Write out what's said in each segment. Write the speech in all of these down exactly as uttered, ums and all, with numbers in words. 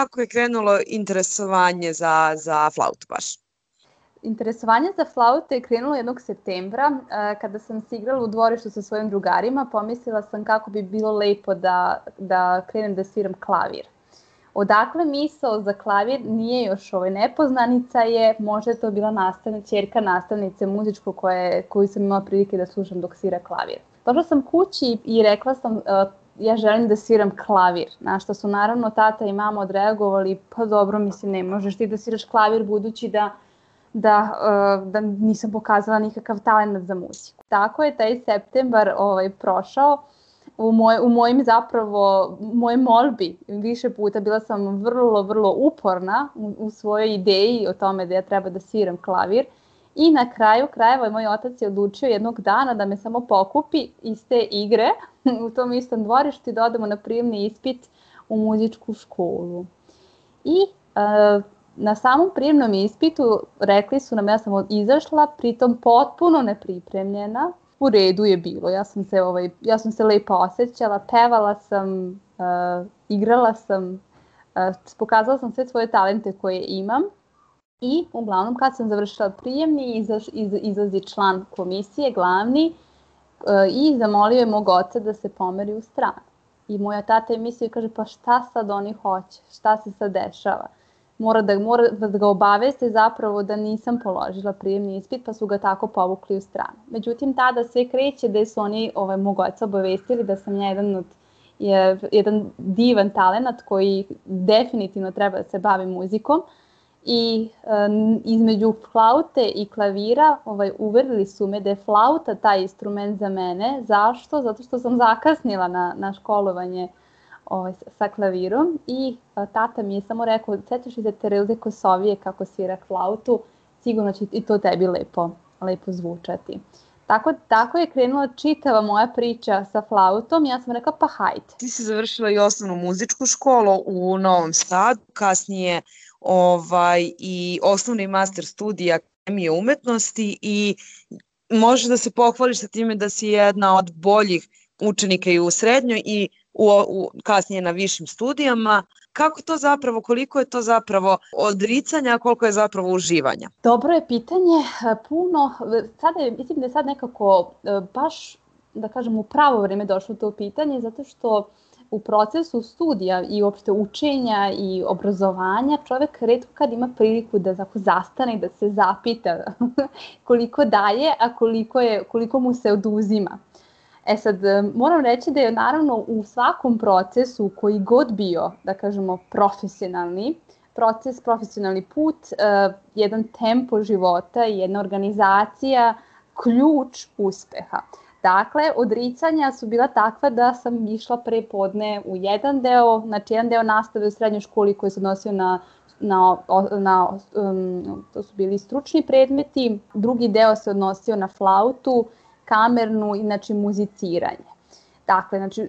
kako je krenulo interesovanje za, za flautu baš? Interesovanje za flautu je krenulo jednog septembra, kada sam se igrala u dvorištu sa svojim drugarima. Pomislila sam kako bi bilo lepo da, da krenem da sviram klavir. Odakle misao za klavir nije još ovaj nepoznanica je, možda je to bila nastavnica, ćerka nastavnice muzičko koje, koju sam imala prilike da slušam dok svira klavir. Došla sam kući i rekla sam, uh, ja želim da sviram klavir, na što su naravno tata i mama odreagovali, pa dobro, mislim, ne možeš ti da sviraš klavir budući da, da, uh, da nisam pokazala nikakav talent za muziku. Tako je taj septembar ovaj, prošao. U, moj, u mojim zapravo, mojoj molbi više puta bila sam vrlo, vrlo uporna u, u svojoj ideji o tome da ja treba da sviram klavir i na kraju krajeva moj otac je odlučio jednog dana da me samo pokupi iz te igre u tom istom dvorištu i da odemo na prijemni ispit u muzičku školu. I e, na samom prijemnom ispitu rekli su nam, ja sam izašla, pritom potpuno nepripremljena. U redu je bilo, ja sam se, ovaj, ja sam se lepo osjećala, pevala sam, uh, igrala sam, uh, pokazala sam sve svoje talente koje imam i uglavnom kad sam završila prijemni izlazi, iz, izlazi član komisije, glavni, uh, i zamolio je mog oca da se pomeri u stranu. I moja tata je mislio i kaže, pa šta sad oni hoće, šta se sad dešava? Mora da, mora da ga obaveste zapravo da nisam položila prijemni ispit, pa su ga tako povukli u stranu. Međutim, tada sve kreće da su oni ovaj, mog oca obavestili da sam ja jedan, od, je, jedan divan talenat koji definitivno treba da se bavi muzikom. I um, između flaute i klavira ovaj, uverili su me da je flauta taj instrument za mene. Zašto? Zato što sam zakasnila na, na školovanje Ovaj, sa klavirom i a, tata mi je samo rekao, setiš li se Tereze Kosovije kako svira flautu, sigurno će i to tebi lepo, lepo zvučati. Tako, tako je krenula čitava moja priča sa flautom, ja sam rekla pa hajde. Ti si završila i osnovnu muzičku školu u Novom Sadu, kasnije ovaj, i osnovni master studija Akademije umetnosti i može da se pohvališ sa time da si jedna od boljih učenika i u srednjoj i U, u, kasnije na višim studijama. Kako to zapravo, koliko je to zapravo odricanja, a koliko je zapravo uživanja? Dobro je pitanje, puno, sada je, mislim da je sad nekako baš, da kažem, u pravo vreme došlo to pitanje, zato što u procesu studija i uopšte učenja i obrazovanja čovek retko kad ima priliku da zastane i da se zapita koliko daje, a koliko, je, koliko mu se oduzima. E sad, moram reći da je naravno u svakom procesu koji god bio, da kažemo, profesionalni, proces, profesionalni put, uh, jedan tempo života i jedna organizacija ključ uspeha. Dakle, odricanja su bila takva da sam išla pre podne u jedan deo, znači jedan deo nastave u srednjoj školi koji se odnosio na, na, na um, to su bili stručni predmeti, drugi deo se odnosio na flautu, kamernu i znači muziciranje. Dakle, znači,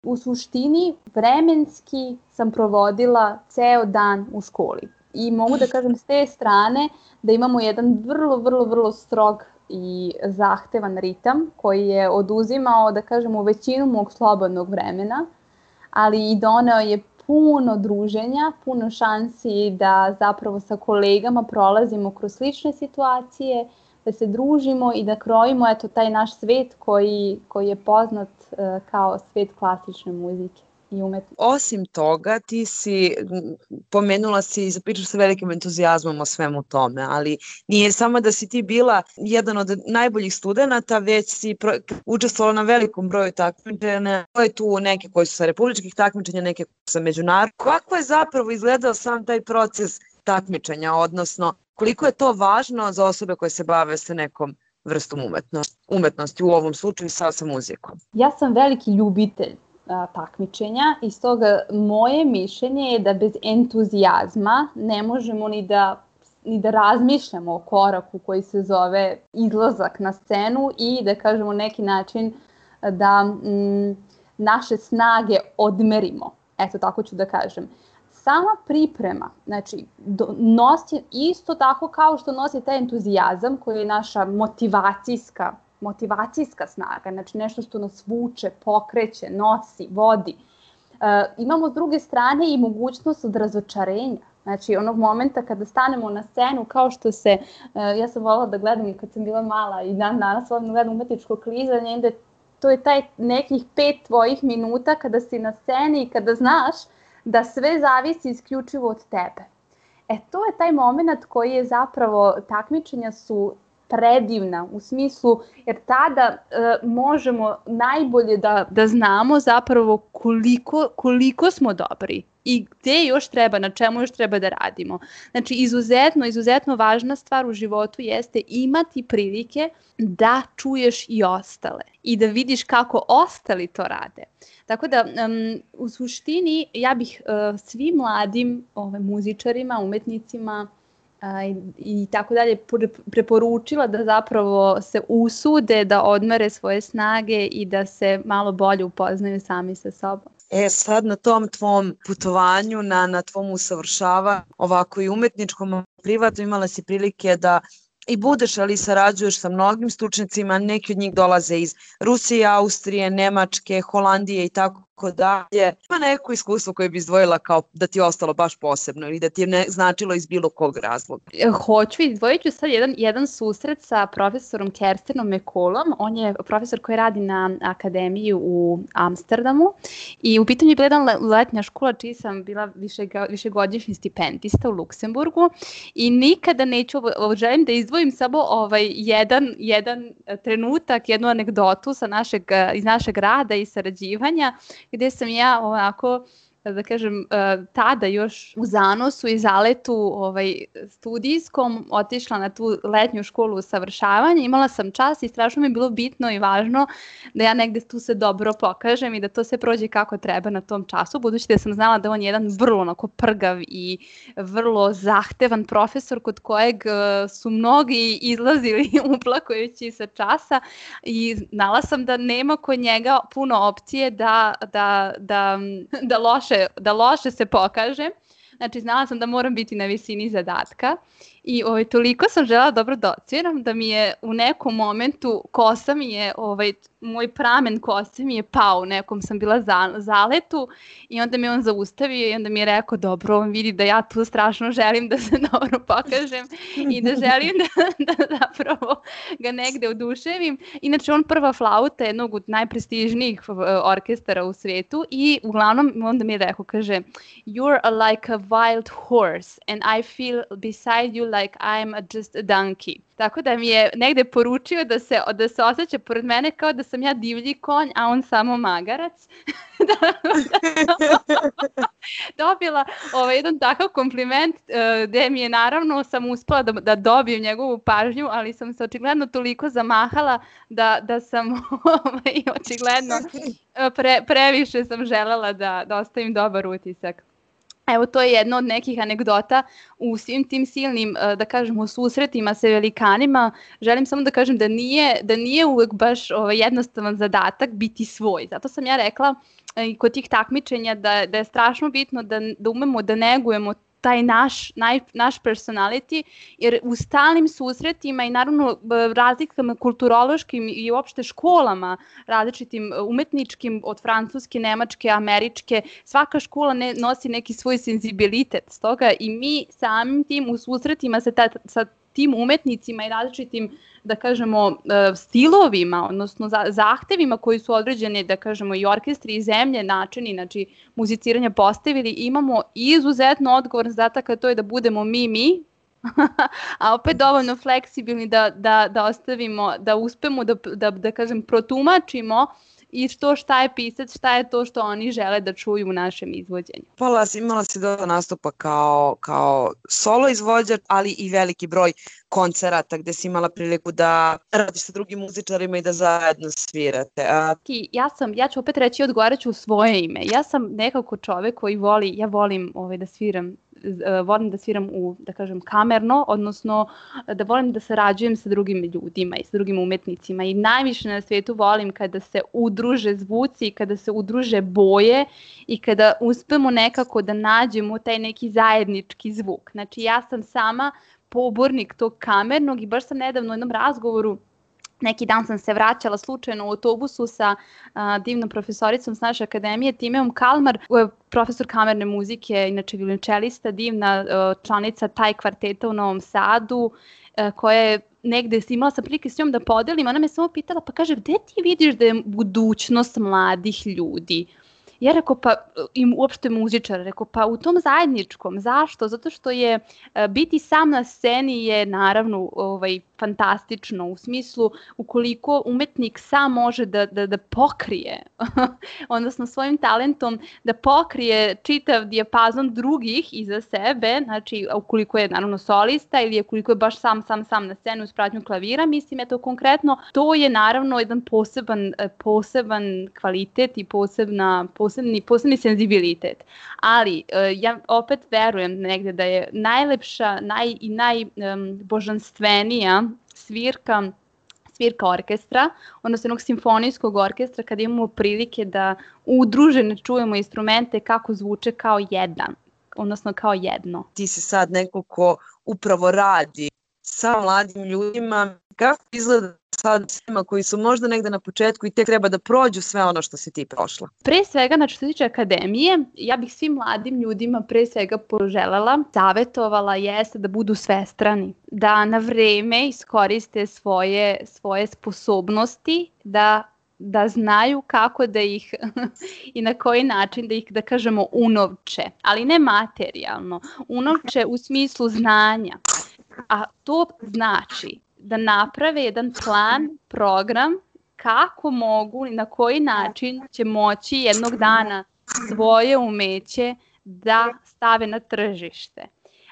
u suštini vremenski sam provodila ceo dan u školi. I mogu da kažem s te strane da imamo jedan vrlo, vrlo, vrlo strog i zahtevan ritam koji je oduzimao, da kažemo, većinu mog slobodnog vremena, ali i doneo je puno druženja, puno šansi da zapravo sa kolegama prolazimo kroz slične situacije, da se družimo i da krojimo eto, taj naš svet koji, koji je poznat uh, kao svet klasične muzike i umetnosti. Osim toga, ti si, pomenula si i zapričaš sa velikim entuzijazmom o svemu tome, ali nije samo da si ti bila jedan od najboljih studenta, već si pro, učestvovala na velikom broju takmičenja. To je tu neke koji su sa republičkih takmičenja, neke koji su sa međunarodnih. Kako je zapravo izgledao sam taj proces takmičenja, odnosno koliko je to važno za osobe koje se bave sa nekom vrstom umetnosti, umetnosti u ovom slučaju sa, sa muzikom? Ja sam veliki ljubitelj a, takmičenja i stoga moje mišljenje je da bez entuzijazma ne možemo ni da, ni da razmišljamo o koraku koji se zove izlazak na scenu i da kažemo neki način da mm, naše snage odmerimo. Eto, tako ću da kažem. Sama priprema, znači, do, nosi isto tako kao što nosi taj entuzijazam koji je naša motivacijska, motivacijska snaga, znači nešto što nas vuče, pokreće, nosi, vodi. imamo s druge strane i mogućnost od razočarenja. Znači, onog momenta kada stanemo na scenu, kao što se, ja sam voljela da gledam i kad sam bila mala i dan danas volim da gledam umetničko klizanje, onda to je taj nekih pet tvojih minuta kada si na sceni i kada znaš da sve zavisi isključivo od tebe. E, to je taj moment koji je zapravo, takmičenja su predivna u smislu, jer tada e, možemo najbolje da, da znamo zapravo koliko, koliko smo dobri i gde još treba, na čemu još treba da radimo. Znači, izuzetno, izuzetno važna stvar u životu jeste imati prilike da čuješ i ostale i da vidiš kako ostali to rade. Tako da, um, u suštini, ja bih uh, svim mladim ove, muzičarima, umetnicima uh, i, i tako dalje preporučila da zapravo se usude da odmere svoje snage i da se malo bolje upoznaju sami sa sobom. E sad na tom tvom putovanju, na, na tvom usavršavanju, ovako i umetničkom, privatno, imala si prilike da i budeš, ali sarađuješ sa mnogim stručnjacima, neki od njih dolaze iz Rusije, Austrije, Nemačke, Holandije i tako dalje. Ima neko iskustvo koje bi izdvojila kao da ti je ostalo baš posebno ili da ti je ne, značilo iz bilo kog razloga? Hoću, izdvojit ću sad jedan, jedan susret sa profesorom Kerstenom Mekolom. On je profesor koji radi na akademiji u Amsterdamu i u pitanju je bila jedna letnja škola čiji sam bila više, višegodišnji stipendista u Luksemburgu i nikada neću, želim da izdvojim samo ovaj jedan, jedan trenutak, jednu anegdotu sa našeg, iz našeg rada i sarađivanja, gde sam ja ovako, da kažem, tada još u zanosu i zaletu ovaj, studijskom otišla na tu letnju školu usavršavanja. Imala sam čas i strašno mi je bilo bitno i važno da ja negde tu se dobro pokažem i da to sve prođe kako treba na tom času, budući da sam znala da on je jedan vrlo onako prgav i vrlo zahtevan profesor kod kojeg su mnogi izlazili uplakujući sa časa i znala sam da nema kod njega puno opcije da, da, da, da loše da loše se pokažem. Znači, znala sam da moram biti na visini zadatka i ovaj, toliko sam želela dobro da odsviram da mi je u nekom momentu kosa mi je, ovaj, moj pramen kose mi je pao, u nekom sam bila za, zaletu i onda me on zaustavio i onda mi je rekao, dobro, on vidi da ja tu strašno želim da se dobro pokažem i da želim da, da zapravo ga negde oduševim. Inače, on prva flauta jednog od najprestižnijih orkestara u svetu i uglavnom onda mi je rekao, kaže, you're like a wild horse and I feel beside you like I'm just a donkey. Tako da mi je negde poručio da se, da se osjeća pored mene kao da sam ja divlji konj, a on samo magarac. Dobila ovaj, jedan takav kompliment uh, gde mi je naravno sam uspela da, da dobijem njegovu pažnju, ali sam se očigledno toliko zamahala da, da sam ovaj, očigledno pre, previše sam želela da, da ostavim dobar utisak. Evo, to je jedna od nekih anegdota u svim tim silnim, da kažemo, susretima sa velikanima. Želim samo da kažem da nije, da nije uvek baš ovaj, jednostavan zadatak biti svoj. Zato sam ja rekla i kod tih takmičenja da, da je strašno bitno da, da umemo da negujemo taj naš, naj, naš personality, jer u stalnim susretima i naravno razlikama kulturološkim i uopšte školama, različitim umetničkim od francuske, nemačke, američke, svaka škola ne, nosi neki svoj senzibilitet. Stoga i mi samim tim u susretima sa, ta, sa tim umetnicima i različitim, da kažemo, stilovima, odnosno zahtevima koji su određeni, da kažemo, i orkestri i zemlje, načini, znači muziciranja postavili, imamo izuzetno odgovoran zadatak, a to je da budemo mi, mi, a opet dovoljno fleksibilni da, da, da ostavimo, da uspemo da, da, da kažem, protumačimo i što šta je pisac, šta je to što oni žele da čuju u našem izvođenju. Imala si, imala si dosta nastupa kao, kao solo izvođač, ali i veliki broj koncerata gde si imala priliku da radiš sa drugim muzičarima i da zajedno svirate. A... Ja sam, ja ću opet reći, odgovarat ću u svoje ime. Ja sam nekako čovek koji voli, ja volim ovaj, da sviram volim da sviram u, da kažem, kamerno, odnosno da volim da sarađujem sa drugim ljudima i sa drugim umetnicima i najviše na svijetu volim kada se udruže zvuci, kada se udruže boje i kada uspemo nekako da nađemo taj neki zajednički zvuk. Znači ja sam sama pobornik tog kamernog i baš sam nedavno u jednom razgovoru Neki dan sam se vraćala slučajno u autobusu sa a, divnom profesoricom s naše akademije, Timeom Kalmar, profesor kamerne muzike, inače violončelista, divna a, članica taj kvarteta u Novom Sadu, a, koja je negde imala sam prilike s njom da podelim, ona me samo pitala, pa kaže, gde ti vidiš da je budućnost mladih ljudi? Ja rekao, pa i uopšte muzičar, rekao, pa u tom zajedničkom. Zašto? Zato što je biti sam na sceni je naravno ovaj, fantastično u smislu ukoliko umetnik sam može da, da, da pokrije, odnosno svojim talentom da pokrije čitav dijapazon drugih iza sebe, znači ukoliko je naravno solista ili ukoliko je baš sam, sam, sam na sceni uz pratnju klavira, mislim, eto konkretno, to je naravno jedan poseban, poseban kvalitet i posebna, posebni, posebni senzibilitet. Ali ja opet verujem negde da je najlepša naj, i najbožanstvenija svirka, svirka orkestra, odnosno jednog simfonijskog orkestra, kada imamo prilike da udružene čujemo instrumente kako zvuče kao jedan, odnosno kao jedno. Ti si sad neko ko upravo radi sa mladim ljudima, kako izgleda sad svima koji su možda negde na početku i tek treba da prođu sve ono što si ti prošla? Pre svega, znači što se tiče akademije, ja bih svim mladim ljudima pre svega poželjela, savjetovala jeste da budu svestrani, da na vreme iskoriste svoje, svoje sposobnosti, da da znaju kako da ih i na koji način da ih, da kažemo, unovče, ali ne materijalno, unovče u smislu znanja. A to znači da naprave jedan plan, program, kako mogu i na koji način će moći jednog dana svoje umeće da stave na tržište.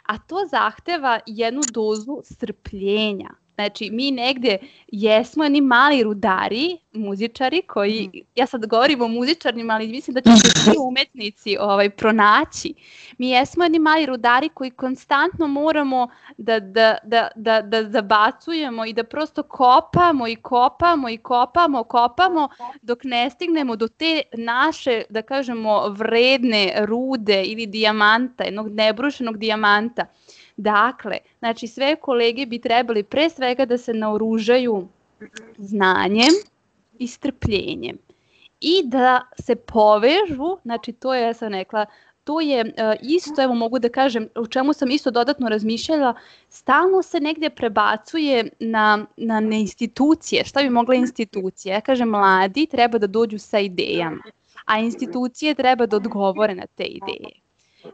A to zahteva jednu dozu strpljenja. Znači, mi negde jesmo jedni mali rudari, muzičari koji, ja sad govorim o muzičarima, ali mislim da će se svi umetnici ovaj, pronaći. Mi jesmo jedni mali rudari koji konstantno moramo da, da, da, da, da zabacujemo i da prosto kopamo i kopamo i kopamo, kopamo dok ne stignemo do te naše, da kažemo, vredne rude ili dijamanta, jednog nebrušenog dijamanta. Dakle, znači sve kolege bi trebali pre svega da se naoružaju znanjem i strpljenjem i da se povežu, znači to je, ja sam rekla, to je uh, isto, evo mogu da kažem, o čemu sam isto dodatno razmišljala, stalno se negdje prebacuje na, na, na institucije. Šta bi mogla institucija? Ja kažem, mladi treba da dođu sa idejama, a institucije treba da odgovore na te ideje.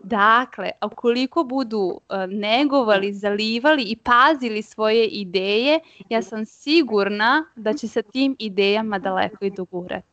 Dakle, ukoliko budu uh, negovali, zalivali i pazili svoje ideje, ja sam sigurna da će sa tim idejama daleko i dogurati.